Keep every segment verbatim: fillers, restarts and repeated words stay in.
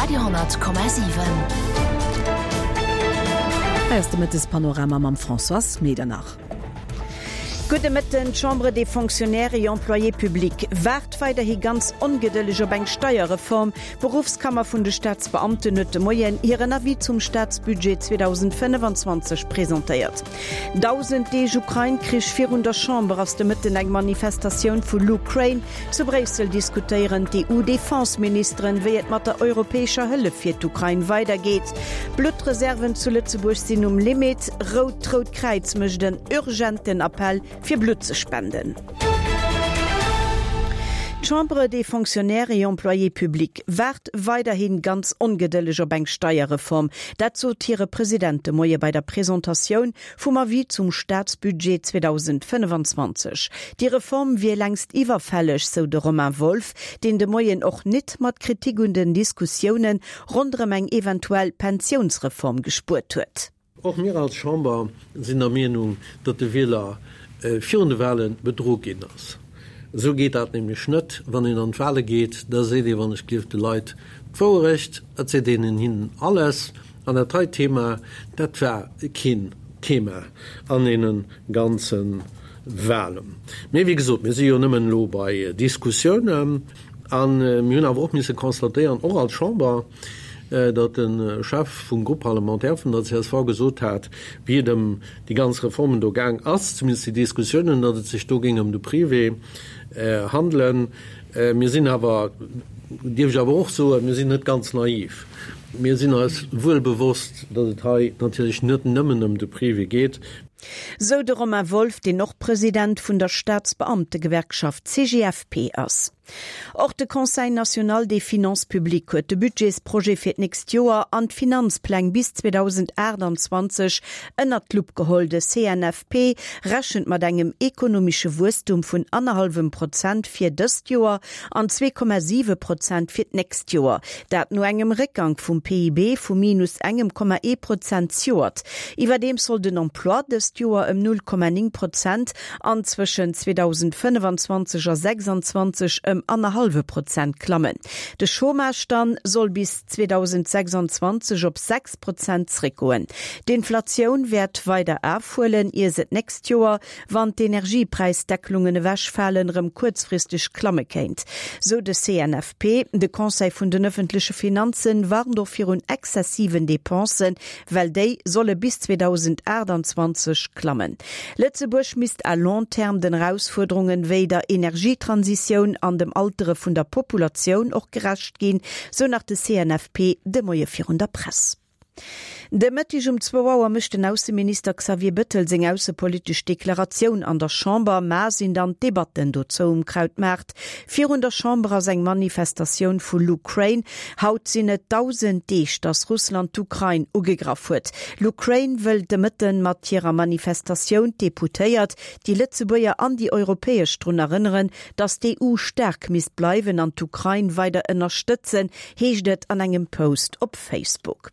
Radio honnert Komma siwen. Hei ass de Mëttespanorama mam Françoise Medernach. Gudde Mëtten, D'Chambre des Fonctionnaires et Employés publics waart weiderhi ganz ongedëlleg op eng Steierreform. D'Beruffskammer vun de Staatsbeamten huet de Moien hiren Avis zum Staatsbudget zweedausendfënnefanzwanzeg presentéiert. Dausend Deeg Ukrain-Krich, Virun der Chamber ass de Mëtten eng Manifestatioun vu LUkraine. Zu Bréissel diskutéieren d'EU-Defense-Ministeren, wéi et mat der europäescher Hëllef fir d'Ukrain weidergeet. Bluttreserven zu Lëtzebuerg sinn um Limit, Rout D'Rout Kräiz mécht en urgenten Appell fir Blutt ze spenden. D'Chambre des Fonctionnaires et Employés publics waart weiderhi ganz ongedëlleg op eng Steierreform. Dat sot hire President de Moie bei der Presentatioun vum Avis zum Staatsbudget zweedausendfënnefanzwanzeg. Déi Reform wier längst iwwerfälleg, sou de Romain Wolff, deen de Moien och nit mat Kritik un den Diskussioune ronderëm eng eventuell Pensiounsreform gespuert huet. Och mir als Chamber sinn der Meenung, datt de Wieler virun de Wahle bedru ginn ass. Esou geet dat nämlech net, wann een an d'Wahle geet, da seet ee wann ech gelift de Leit d'Wouerecht, et seet een hinnen alles. An dat hei Thema, dat war keen Thema an deene ganze Wahlen. Mee wéi gesot, mir si jo nëmmen elo bei Diskussiounen. A mir hunn awer och misse constatéieren, och als Chamber, datt de Chef vum Groupe parlementaire vun der csv gesot hat, wéi et ëm déi ganz Reformen do gaang ass, zumindest déi Diskussiounen, datt et sech do géing ëm de Privé handelen. Mir sinn awer, dierf ech awer och soen, mir sinn net ganz naiv. Mir sinn eis wuel bewosst, datt et hei natierlech net nëmmen ëm de Privé geet. Sou de Romain Wolff, deen och President vun der Staatsbeamtegewerkschaft C G F P ass. Och de Conseil national des finances publiques huet de Budgetsprojet fir d'nächst Joer an d'Finanzpläng bis zweedausendaachtanzwanzeg ënnert d'Lupp geholl. De C N F P rechent mat engem ekonomesche Wuesstum vun annerhallwem Prozent fir dëst Joer an zwee Komma siwe Prozent fir d'nächst Joer. Dat no engem Réckgank vum P I B vu minus engem Komma ee Prozent zejoert. Iwwerdeems soll den Emploi dëst Joer ëm null Komma néng Prozent an zwëschen zweedausendfënnefanzwanzeg a sechsanzwanzeg ëm annerhallwe Prozent klammen. De Chômage dann soll bis zweedausendsechsanzwanzeg op sechs Prozent zréckgoen. D'Inflatioun wäert weider erofhuelen, ier se d'nächst Joer, wann d'Energiepräisdeckelungen ewechfalen, erëm kuerzfristeg klamme kéint, sou de C N F P. De Conseil vun den ëffentleche Finanzen warnt och virun exzessiven Depensen, well déi solle bis zweedausendaachtanzwanzeg klammen. Lëtzebuerg misst à long terme den Erausfuerderungen wéi der Energietransitioun an dem Altere vun der Populatioun och gerecht ginn, sou nach de C N F P de Moie virun der Press. De Mëtteg um zwou Auer mécht den Ausseminister Xavier Bettel seng aussepolitesch Deklaratioun an der Chamber. Mar sinn dann d'Debatten dozou um Krautmaart. Virun der Chamber ass eng Manifestatioun vu LUkraine. Haut sinn et dausend Deeg, datt Russland d'Ukrain ugegraff huet. LUkraine wëll de Mëtten mat hirer Manifestatioun d'Deputéiert, déi Lëtzebuerger an déi Europäesch drun erënneren, datt d'E U staark misst bleiwen an d'Ukrain weider ënnerstëtzen, heescht et an engem Post op Facebook.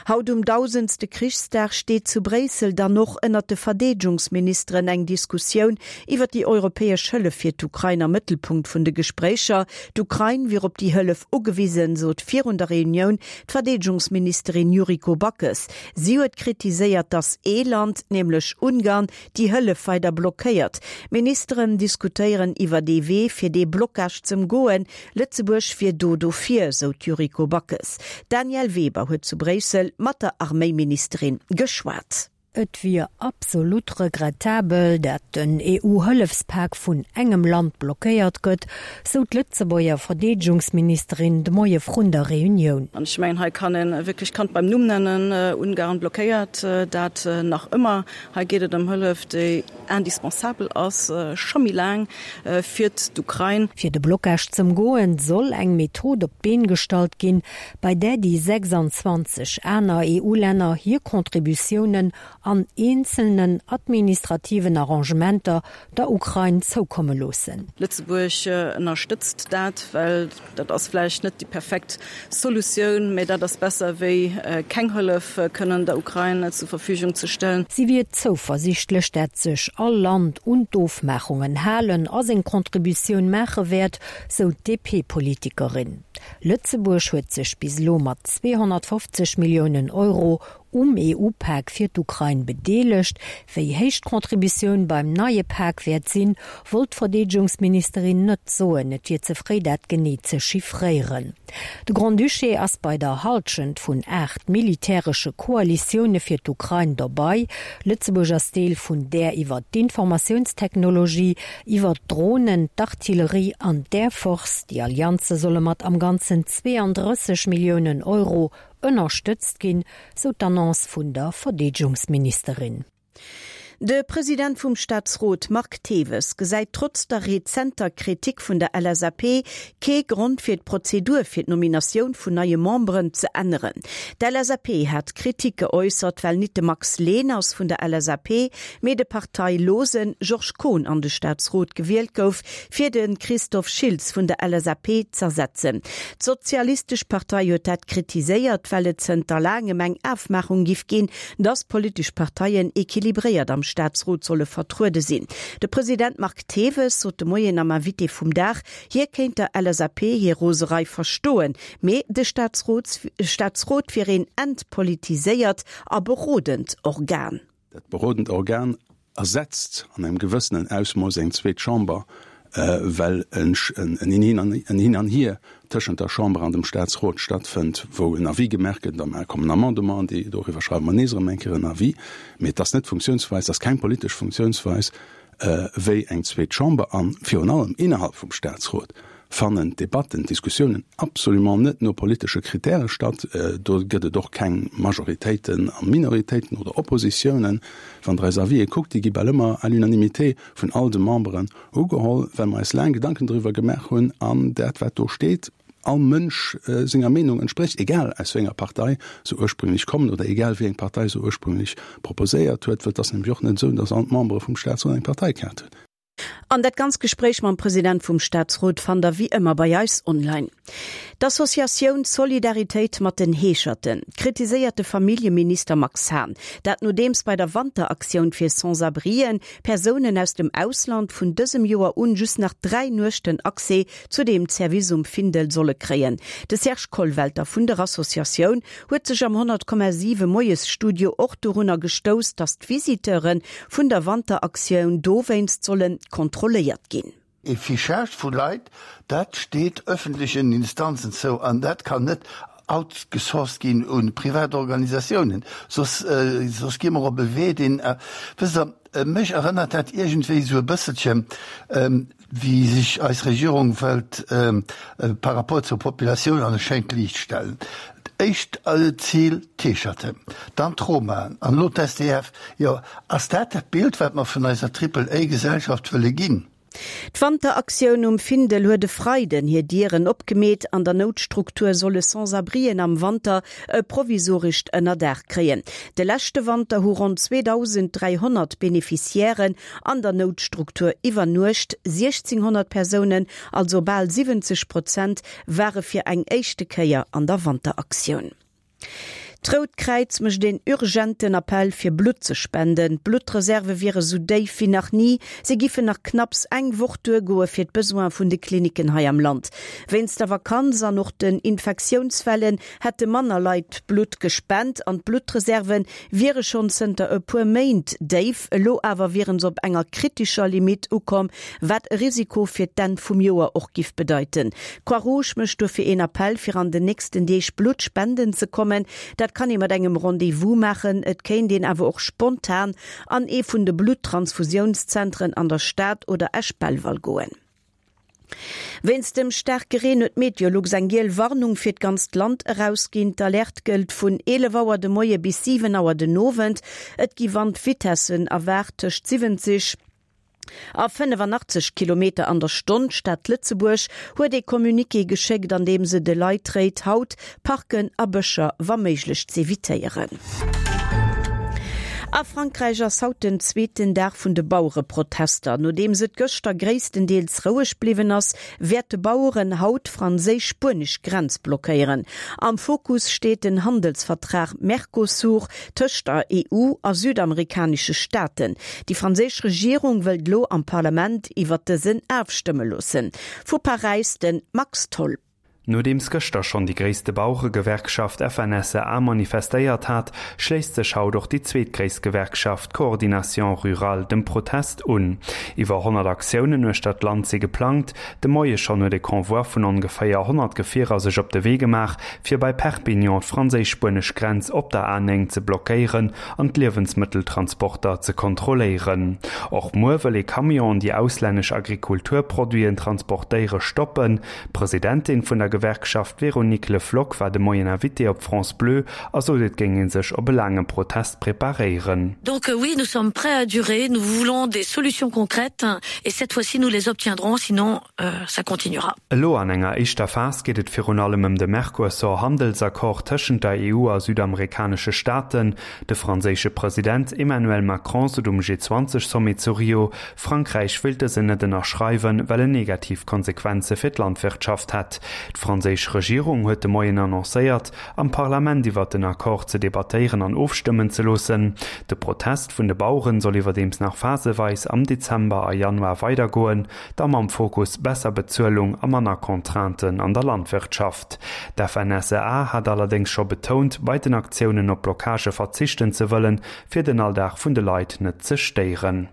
Haut um dausendste Krichsdag steet zu Bréissel dann och ënnert de Verdeedegungsministeren eng Diskussioun iwwer déi europäesch Hëllef fir d'Ukrain am Mëttelpunkt vun de Gespréicher. D'Ukrain wier op déi Hëllef ugewisen, sot virun der Reunioun d'Verdeedegungsministerin Yuriko Backes. Si huet kritiséiert, datt ee Land, nämlech Ungarn, déi Hëllef weider blockéiert. D'Ministeren diskutéieren iwwer de Wee fir dee Blockage z'ëmgoen. Lëtzebuerg wier do dofir, sou d'Yuriko Backes. D'Danièle Weber huet zu Bréissel mat der Arméiministerin geschwat. Et wier absolut regrettabel, dat den E U-Hëllefspak vun engem Land blockéiert gëtt, sou d'Lëtzebuerger Verdeedegungsministerin de Moie vrun der Reunioun. An ech mengen, hei kann een wierklech d'Kand beim Numm nennen, Ungarn blockéiert dat nach ëmmer. Hei geet et ëm Hëllef, déi indispensabel ass, scho méi laang fir d'Ukrain. Fir de Blockage z'ëmgoen, soll eng Method op d'Been gestallt ginn, bei där déi sechsanzwanzeg aner E U-Länner hir Contributiounen an eenzelnen administrativen Arrangementer der Ukrain zoukomme loossen. Lëtzebuerg ënnerstëtzt dat, well dat ass vläicht net déi perfekt Solutioun, mä dat ass besser wéi keng Hëllef kënnen der Ukrain zur Verfügung ze stellen. Si wier zouversiichtlech, dat sech all Land un d'Ofmaachungen halen a seng Contributioun maache wäert, sou d'DP-Politikerin. Lëtzebuerg huet sech bis elo mat zweehonnertfofzeg Milliounen Euro um EU-Pak fir d'Ukrain bedeelegt. Wéi héich d'Contributioun beim neie Pak wäert sinn, wollt d'Verdeedegungsministerin net soen, et wier ze fréi dat genee ze chiffréieren. De Grand-Duché ass bei der Hallschent vun aacht militäresche Koalitioune fir d'Ukrain dobäi. Lëtzebuerg ass Deel vun där iwwer d'Informatiounstechnologie, iwwer d'Dronen, d'Artillerie an d'Air Force. Déi Allianze solle mat am Ganzen zweeëndrësseg Milliounen Euro ënnerstëtzt ginn, sou d'Annonce vun der Verdeedegungsministerin. De President vum Staatsrot Marc Thewes gesäit trotz der rezenter Kritik vun der L S A P kee Grond fir d'Prozedur fir d'Nominatioun vun neie Memberen ze änneren. D'L S A P hat Kritik geäussert, well nit de Max Leners vun der L S A P, mee de parteilose Georges Kohn an de Staatsrot gewielt gouf, fir de Christophe Schiltz vun der L S A P z'ersetzen. D'Sozialistesch Partei huet dat kritiséiert, well et zënter laangem eng Afmaachung giff ginn, dass politesch Parteien equilibréiert am Staatsrot solle vertruede sinn. De President Marc Thewes sot de Moien am Invité vum Dag, hie kéint der L S A P hir Roserei verstoen, mee de Staatsrot wier een entpolitiséiert a berodend Organ. Dat berodend Organ ersetzt an engem gewëssenen Ausmooss eng zweet Chamber, well en Hin an Hier tëschent der Chamber an dem Staatsrot stattfënnt, wou en Avis gemaach gëtt, da kommen Amendementen, déi doriwwer schreiwe mer nees erëm eng Kéier en Avis. Mee et ass net d'Funktiounsweis, et ass keng politesch Funktiounsweis wéi eng zweet Chamber. A virun allem innerhalb vum Staatsrot fannen d'Debatten, d'Diskussiounen absolument net no politesche Kritäre statt. Do gëtt et och keng Majoritéiten a Minoritéiten oder Oppositiounen. Wann Der eis Avisë kuckt, déi gi bal ëmmer à l'unanimité vun all de Memberen ugeholl, well mer eis laang Gedanken driwwer gemaach hunn an dat, wat do steet, all Mënsch senger Meenung entsprécht, egal aus wéi enger Partei se ursprünglech kommen oder egal wéi eng Partei se ursprünglech proposéiert huet, well et ass nämlech och net esou, datt all d'Membere vum Staatsrot eng Parteikaart hunn. An dat ganz Gespréich mam President vum Staatsrot fannt der wéi ëmmer bei eis online. D'Associatioun Solidaritéit mat den Heescherten kritiséiert de Familljeminister Max Hahn, dat nodeems bei der Wanteraktioun fir Sans-abrien Persounen aus dem Ausland vun dësem Joer un just nach dräi Nuechten Accès zu deem Service um Findel solle kréien. De Serge Kollwelter vun der Associatioun huet sech am honnert Komma siwe Moiesstudio och dorunner gestouss, datt d'Visiteure vun der Wanteraktioun dowéinst solle kontrolléiert ginn. E Fichage vu Leit, dat steet ëffentlechen Instanzen zou an dat kann net outgesourced ginn un privat Organisatiounen, soss soss gi mer op e Wee, deen, wësst Der, mech erënnert dat iergendwéi esou e bësselche wéi sech eis Regierung wëllt par rapport zur Populatioun an e schéint Liicht stellen. Éischt Zil d'Heescherten, dann d'Romaen an elo d'S D F. Jo, ass dat dat Bild, wat mer vun eiser Triple-A-Gesellschaft wëlle ginn? D'Wanteraktioun um Findel huet e Freiden hir Dieren opgemeet. An der Noutstruktur solle Sans-abrien am Wanter e provisorescht Ënnerdaach kréien. De leschte Wanter hu ronn zweedausend dräihonnert Beneficiairen an der Noutstruktur iwwernuecht. siechzehnhonnert Persounen, also bal siwwenzeg Prozent, ware fir eng éischte Kéier an der Wanteraktioun. D'Rout Kräiz mécht een urgenten Appell fir Blutt ze spenden. D'Bluttreserve wiere sou déif wéi nach ni. Se giffen nach knapps eng Woch duergoe fir d'Besoine vun de Klinicken hei am Land. Wéinst der Vakanz an och den Infektiounswellen hätte manner Leit Blutt gespent an d'Bluttreserve wiere schonn zënter e puer Méint déif. Elo awer wiere se op enger kritescher Limitt ukomm, wat e Risiko fir d'Enn vum Joer och giff bedeiten. D'Croix-Rouge mécht dofir een Appell fir an den nächsten Deeg Blutt spenden ze kommen. Dat kann ee mat engem Rendez-vous maachen, et kéint een awer och spontan an ee vun de Bluttransfusiounszentren an der Stad oder Esch-Belval goen. Wéinst dem staarke Reen huet Meteolux eng giel Warnung fir d'ganzt Land erausginn. D'Alerte gëllt vun eelef Auer de Moie bis siwen Auer den Owend. Et gi Wandvitessen erwaart tëscht siwwenzeg a fënnefanachteg Kilometer an der Stonn. D'Stad Lëtzebuerg huet ee Communiqué geschéckt, an deem se de Leit réit, haut Parken a Bëscher wa méiglech z'evitéieren. A Frankräich ass haut den zweeten Dag vun de Bauereprotester. Nodeems et gëschter gréisstendeels roueg bliwwen ass, wäerte Baueren haut d'franséisch-spuenesch Grenz blockéieren. Am Fokus steet den Handelsvertrag Mercosur tëscht der E U a südamerikanesche Staaten. Déi franséisch Regierung wëllt elo am Parlament iwwer dësen ofstëmme loossen. Vu Paräis de Max Tholl. Nodeems gëschter schonn déi gréisste Baueregewerkschaft F N S E A manifestéiert hat, schléisst sech haut och déi zweetgréisst Gewerkschaft Coordination Rurale dem Protest un. Iwwer honnert Aktiounen uechter d'Land si geplangt. De Moie schonn huet e Convoi vun ongeféier honnert Gefierer sech op de Wee gemaach, fir bei Perpignan d'franséisch-spuenesch Grenz op der A néng ze blockéieren an d'Liewensmëtteltransporter ze kontrolléieren. Och muer wëll ee Camion, déi auslännesch Agrikulturproduiten transportéiere, stoppen. D'Presidentin vun der Gewerkschaft Véronique Le Floch war de Moien Invitée op France Bleu a sot et géing ee sech op e laange Protest preparéieren. Donc euh, oui, nous sommes prêts à durer, nous voulons des solutions concrètes et cette fois-ci nous les obtiendrons, sinon euh, ça continuera. Elo an enger éischter Phas geet et virun allem ëm de Mercosur-Handelsaccord tëschent der E U a südamerikanesche Staaten. De franséische President Emmanuel Macron sot um G zwanzeg Sommet zu Rio, Frankräich wéilt dësen net ënnerschreiwen, well en negativ Konsequenze fir d'Landwirtschaft hätt. D'franséisch Regierung huet de Moien annoncéiert, am Parlament iwwer den Accord ze debattéieren an ofstëmmen ze loossen. De Protest vun de Baueren soll iwwerdeems nach phaseweis am Dezember a Januar weidergoen, da mam Fokus besser Bezuelung a manner Contrainten an der Landwirtschaft. D'F N S E A hat allerdéngs scho betount, bei den Aktiounen op Blockagë verzichten ze wëllen, fir den Alldag vun de Leit net ze stéieren.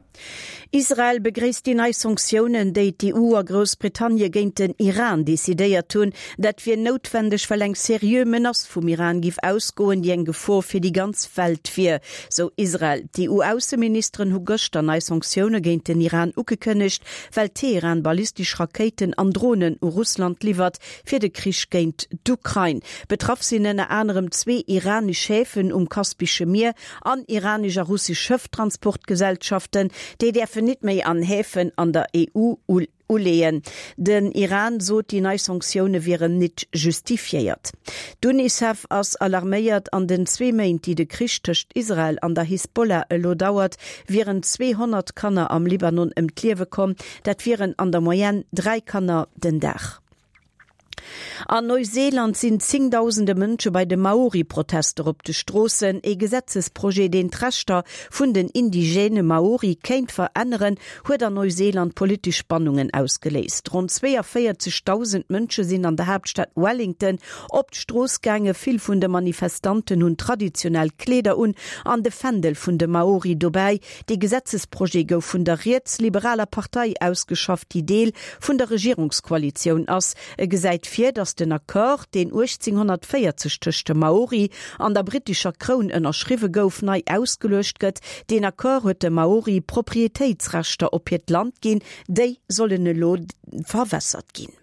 Israel begréisst déi nei Sanktiounen, déi d'E U a Groussbritannie géint den Iran decidéiert hunn. Dat wier noutwenneg, well eng seriö Menace vum Iran géif ausgoen, déi eng Gefor fir déi ganz Welt wier, sou Israel. D'E U-Ausseministeren hu gëschter nei Sanktioune géint den Iran ugekënnegt, well Teheran ballistesch Rakéiten an Dronen u Russland liwwert fir de Krich géint d'Ukrain. Betraff sinn ënner anerem zwee iranesch Häfen um Kaspesche Mier an iranesch a russesch Schëfftransportgesellschaften, déi däerfen net méi an Häfen an der E U uleeën. Den Iran sot, déi nei Sanktioune wieren net justifiéiert. D'UNICEF ass alarméiert. An den zwee Méint, déi de Krich tëscht Israel an der Hisbollah elo dauert, wieren zweehonnert Kanner am Libanon ëm d'Liewe komm. Dat wieren an der Moyenne dräi Kanner den Dag. An Neuseeland sinn zéngdausende Mënsche bei de Maori-Protester op de Stroossen. E Gesetzesprojet, deen d'Rechter vun den indigene Maori kéint veränneren, huet an Neuseeland politesch Spannungen ausgeléist. Ronn zweeënvéierzegdausend Mënsche sinn an der Haaptstad Wellington op d'Strooss gaangen. Vill vun de Manifestanten hunn traditionell Kleeder un an de Fändel vun de Maori dobäi. De Gesetzesprojet gouf vun der rietsliberaler Partei ausgeschafft, déi Deel vun der Regierungskoalitioun ass. E gesäit vir, datt den Accord, deen uechtzénghonnertvéierzeg tëscht de Maori an der brittescher Kroun ënnerschriwwe gouf, nei ausgeluecht gëtt. Den Accord huet de Maori Proprietéitsrechter op hiert Land ginn, déi sollen elo verwässert ginn.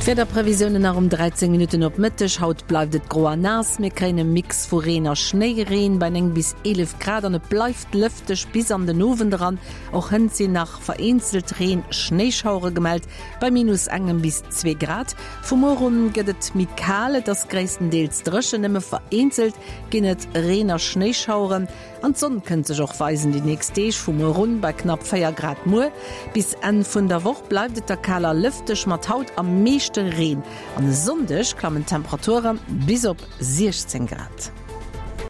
D'Wiederprevisiounen nach um dräizéng Minutten op Mëtteg. Haut bleift et gro an naass. Mir kréien e Mix vu Reen a Schnéireen bei néng bis eelef Grad an et bleift lëfteg bis an den Owend eran. Och hënt sinn nach vereenzelt Reen Schnéischauere gemellt bei minus engem bis zwee Grad. Vu muer un gëtt et méi kal, et ass gréisstendeels dréchen, nëmme vereenzelt ginn et Reen a Schnéischaueren. An d'Sonn kënnt sech och weisen déi nächst Deeg, vu muer un bei knapp véier Grad muer. Bis Enn vun der Woch bleift et da kal a lëfteg mat haut am meeschte Reen. An e Sonndeg klammen d'Temperature bis op siechzéng Grad.